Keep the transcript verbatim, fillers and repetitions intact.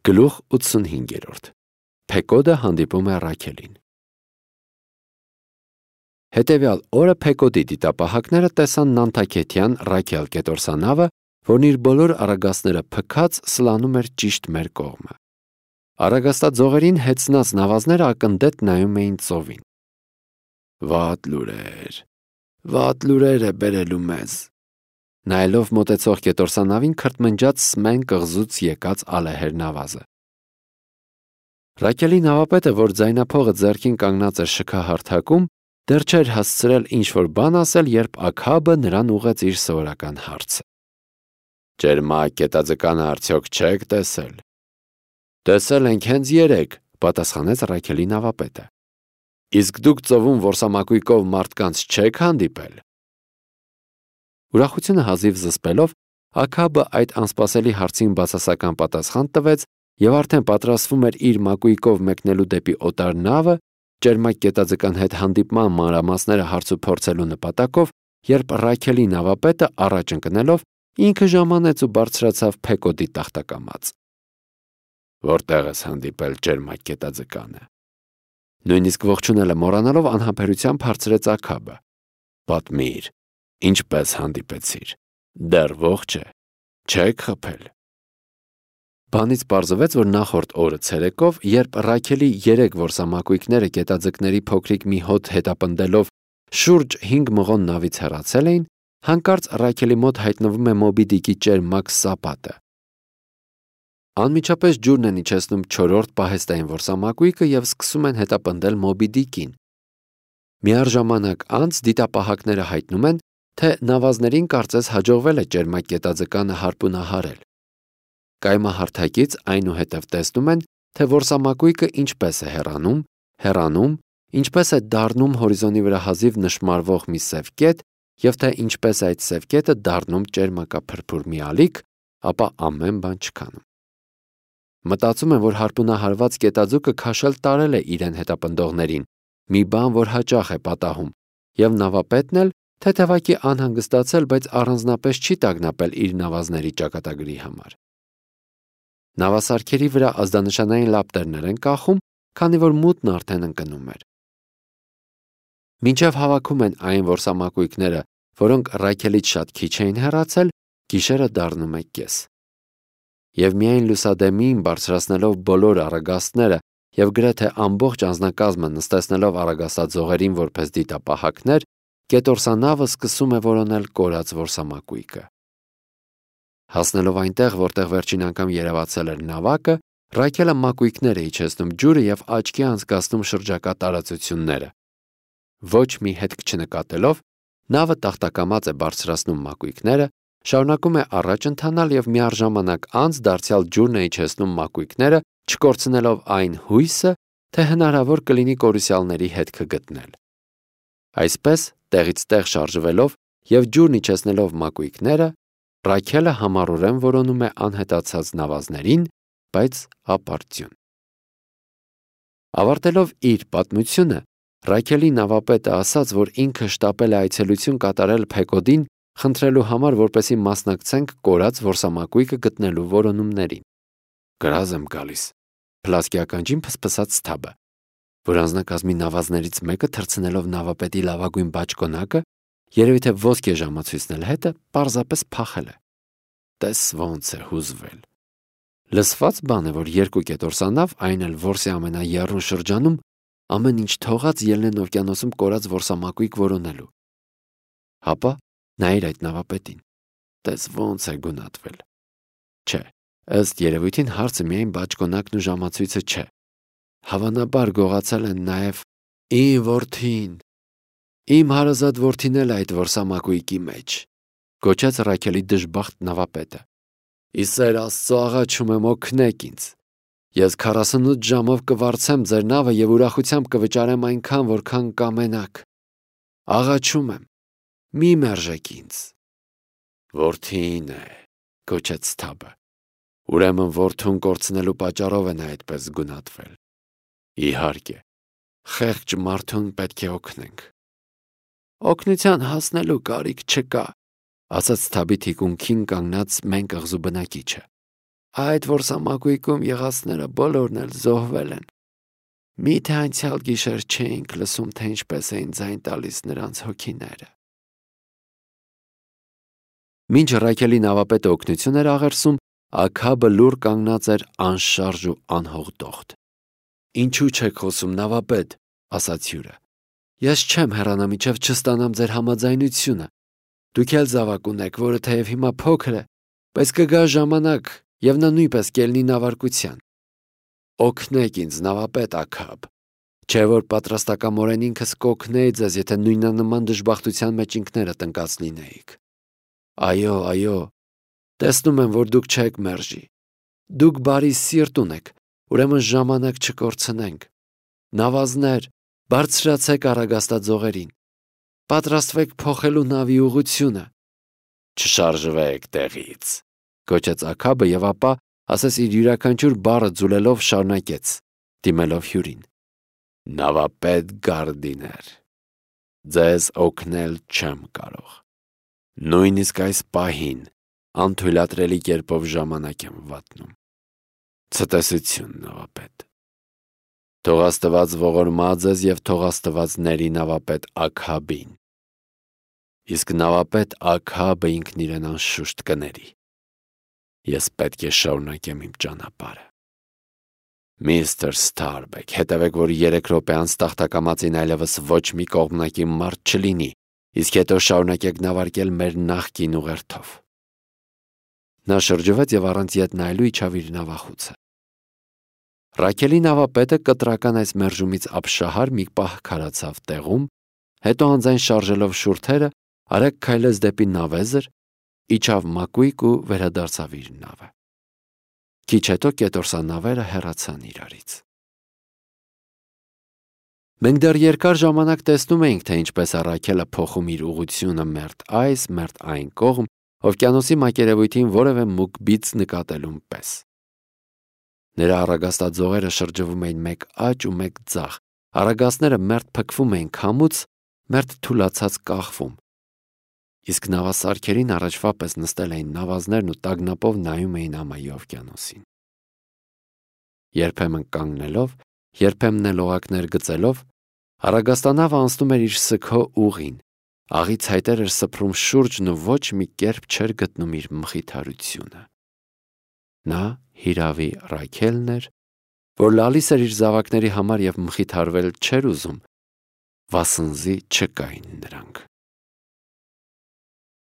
Գլուխ ութսունհինգ. Փեկոդը հանդիպում է Ռաքելին։ Հետևյալ օրը Փեկոդի դիտապահակները տեսան Նանթաքեթյան Ռաքել կետորսանավը, որն իր բոլոր արագածները փքած սլանում էր ճիշտ մեր կողմը։ Արագաստաձողերին հեծնած նավազները ակնդետ նայում էին ծովին։ Վատ լուրեր, վատ լուրեր է բերելու մեզ։ Նայելով մոտեցող կետորսանավին քրթմնջաց Սմեն կղզուց եկած ալեհեր նավազը։ Ռաքելի նավապետը, որ ձայնափողը ձեռքին կանգնած էր շքահարթակում, դեռ չէր հասցրել ինչ-որ բան ասել, երբ Աքաբը նրան ուղղեց իր սովորական հարցը։ Ճերմակ կետաձկանը արդյոք չեք տեսել։ Տեսել ենք հենց երեկ, պատասխանեց Ռաքելի նավապետը։ Իսկ դուք ծովում որսամակույկով մարդկանց չեք հանդիպել։ Ուրախությունը հազիվ զսպելով, Աքաբը այդ անսպասելի հարցին բացասական պատասխան տվեց եւ արդեն պատրաստվում էր իր մակույկով մեկնելու դեպի օտար նավը, ճերմակ կետաձկան հետ հանդիպման մանրամասները հարցուփորձելու նպատակով, երբ Ռաքելի նավապետը առաջ ընկնելով ինքը ժամանեց ու բարձրացավ Փեկոդի տախտակամած։ Որտեղ ես հանդիպել ճերմակ կետաձկանը։ Նույնիսկ ողջունելը մոռանալով անհամբերությամբ հարցրեց Աքաբը։ Պատմիր, ինչպես հանդիպեցիր։ Դեռ ողջ է, չեք խփել։ Բանից պարզվեց, որ նախորդ օրը ցերեկով, երբ Ռաքելի երեք որսամակույկները կետաձկների փոքրիկ մի հոտ հետապնդելով շուրջ հինգ մղոն նավից հեռացել էին, հանկարծ Ռաքելի մոտ հայտնվում է Մոբի Դիկի ճերմակ սապատը։ Անմիջապես ջուրն են իջեցնում չորրորդ պահեստային որսամակույկը եւ սկսում են հետապնդել Մոբի Դիկին։ Միառժամանակ անց դիտապահակները հայտնում են, թե նավազներին կարծես հաջողվել է ճերմակ կետաձկանը հարպունահարել։ Կայմահարթակից այնուհետև տեսնում են, թե որսամակույկը ինչպես է հեռանում, հեռանում, ինչպես է դառնում հորիզոնի վրա հազիվ նշմարվող մի սև կետ, եւ թե ինչպես այդ սև կետը դառնում ճերմակափրփուր մի ալիք, ապա ամեն բան չքանում։ Մտածում են, որ հարպունահարված կետաձուկը քաշել տարել է իրեն հետապնդողներին, մի բան, որ հաճախ է պատահում, եւ նավապետն էլ թեթևակի անհանգստացել, բայց առանձնապես չի տագնապել իր նավազների ճակատագրի համար։ Նավասարքերի վրա ազդանշանային լապտերներ են կախում, քանի որ մութն արդեն ընկնում էր։ Մինչև հավաքում են այն որսամակույկները, որոնք Ռաքելից շատ քիչ էին հեռացել, գիշերը դառնում է կես։ Եվ միայն լուսադեմին բարձրացնելով բոլոր արագաստները եւ գրեթե ամբողջ անձնակազմը նստեցնելով արագաստաձողերին որպես դիտապահակներ, կետորսանավը սկսում է որոնել կորած որսամակույկը։ Հասնելով այնտեղ, որտեղ վերջին անգամ երևացել էր նավակը, Ռաքելը մակույկներ է իջեցնում ջուրը եւ աչքի անցկացնում շրջակա տարածությունները։ Ոչ մի հետք չնկատելով, նավը տախտակամած է բարձրացնում մակույկները, շարունակում է առաջ ընթանալ եւ միառժամանակ անց դարձյալ ջուրն է իջեցնում մակույկները, չկորցնելով այն հույսը, թե հնարավոր կլինի կորուսյալների հետքը գտնել։ Այսպես, տեղից տեղ շարժվելով եւ ջուրն իջեցնելով մակույկները, Ռաքելը համառորեն որոնում է անհետացած նավազներին, բայց ապարդյուն։ Ավարտելով իր պատմությունը, Ռաքելի նավապետը ասաց, որ ինքը շտապել է այցելություն կատարել Փեկոդին, խնդրելու համար, որպեսզի մասնակցենք կորած որսամակույկը գտնելու որոնումներին։ Գրազ եմ գալիս, Փլասկի ականջին փսփսաց Սթաբը, որ անձնակազմի նավազներից մեկը թռցնելով նավապետի լավագույն բաճկոնակը, երևի թե ոսկե ժամացույցն էլ հետը պարզապես փախել է։ Տես ոնց է հուզվել։ Լսված բան է, որ երկու կետորսանավ, այն էլ որսի ամենաեռուն շրջանում, ամեն ինչ թողած ելնեն օվկիանոսում կորած որսամակույկ որոնելու։ Հապա նայր այդ նավապետին։ Տես ոնց է գունատվել։ Չէ, ըստ երևույթին հարցը միայն բաճկոնակն ու ժամացույցը չէ։ Հավանաբար գողացել են նաև իմ որդին։ Իմ հարազատ որդին էլ այդ որսամակույկի մեջ, գոչեց Ռաքելի դժբախտ նավապետը։ Իսեր Աստծո աղաչում եմ, օգնեք ինձ։ Ես քառասունութ ժամով կվարձեմ ձեր նավը եւ ուրախությամբ կվճարեմ այնքան, որքան կամենաք։ Աղաչում եմ, մի մերժեք ինձ։ Որդին է, գոչեց Սթաբը։ Ուրեմն որդուն կորցնելու պատճառով է նա այդպես գունատվել։ Իհարկե, խեղճ մարդուն պետք է օգնենք։ Օգնության հասնելու կարիք չկա, ասաց Սթաբի թիկունքին կանգնած մեն կղզու բնակիչը։ Այդ որսամակույկում եղածները բոլորն էլ զոհվել են։ Միթե անցյալ գիշեր չէինք լսում, թե ինչպես էին ձայն տալիս նրանց հոգիները։ Մինչ Ռաքելի նավապետը օգնություն էր աղերսում, Աքաբը լուռ կանգնած էր անշարժ ու անհողդողտ։ Ինչու չեք խոսում, նավապետ, ասաց հյուրը։ Ես չեմ հեռանա մինչև չստանամ ձեր համաձայնությունը։ Դուք էլ զավակ ունեք, որը թեև հիմա փոքր է, բայց կգա ժամանակ, եւ նա նույնպես կելնի նավարկության։ Օգնեք ինձ, նավապետ Աքաբ, չէ որ պատրաստակամորեն ինքս կօգնեի ձեզ, եթե նույնանման դժբախտության մեջ ինքներդ ընկած լինեիք։ Այո, այո, տեսնում եմ, որ դուք չեք մերժի։ Դուք բարի սիրտ ունեք, ուրեմն ժամանակ չկորցնենք։ Նավազներ, բարձրացեք առագաստաձողերին։ Պատրաստվեք փոխելու նավի ուղղությունը։ Չշարժվեք տեղից, գոչեց Աքաբը եւ ապա, ասես իր յուրաքանչյուր բառը ձուլելով շարունակեց, դիմելով հյուրին։ Նավապետ Գարդիներ, ձեզ օգնել չեմ կարող։ Նույնիսկ այս պահին անթույլատրելի կերպով ժամանակ եմ վատնում։ Ցտեսություն, նավապետ։ Թող Աստված ողորմա ձեզ եւ թող Աստված ների նավապետ Աքաբին։ Իսկ նավապետ Աքաբը ինքն իրեն անշուշտ կների։ Ես պետք է շարունակեմ իմ ճանապարհը։ Միստր Սթարբեք, հետևեք, որ երեք րոպե անց տախտակամածին այլևս ոչ մի կողմնակի մարդ չլինի, իսկ հետո շարունակեք նավարկել մեր նախկին ուղերձով։ Նա շրջվեց եւ առանց ետ նայելու իջավ իր նավախուցը։ Ռաքելի նավապետը կտրական այս մերժումից ապշահար մի պահ քարացավ տեղում, հետո անձայն շարժելով շուրթերը, արագ քայլեց դեպի նավեզր, իջավ մակույկ ու վերադարձավ իր նավը։ Քիչ հետո կետորսանավերը հեռացան իրարից։ Մենք դեռ երկար ժամանակ տեսնում էինք, թե ինչպես է Ռաքելը փոխում իր ուղղությունը մերթ այս, մերթ այն կողմ, օվկիանոսի մակերևույթին որևէ մուգ բիծ նկատելուն պես։ Նրա առագաստաձողերը շրջվում էին մեկ աջ ու մեկ ձախ, առագաստները մերթ փքվում էին քամուց, մերթ թուլացած կախվում։ Իսկ նավասարքերին առաջվա պես նստել էին նավազներն ու տագնապով նայում էին ամայի օվկիանոսին։ Երբեմն կանգնելով, երբեմն էլ օղակներ գծելով, առագաստանավը անցնում էր իր սգո ուղին, աղի ցայտեր էր սփռում շուրջն ու ոչ մի կերպ չէր գտնում իր մխիթարությունը։ Նա հիրավի Ռաքելն էր, որ լալիս էր իր զավակների համար եւ մխիթարվել չէր ուզում, վասնզի չկային նրանք։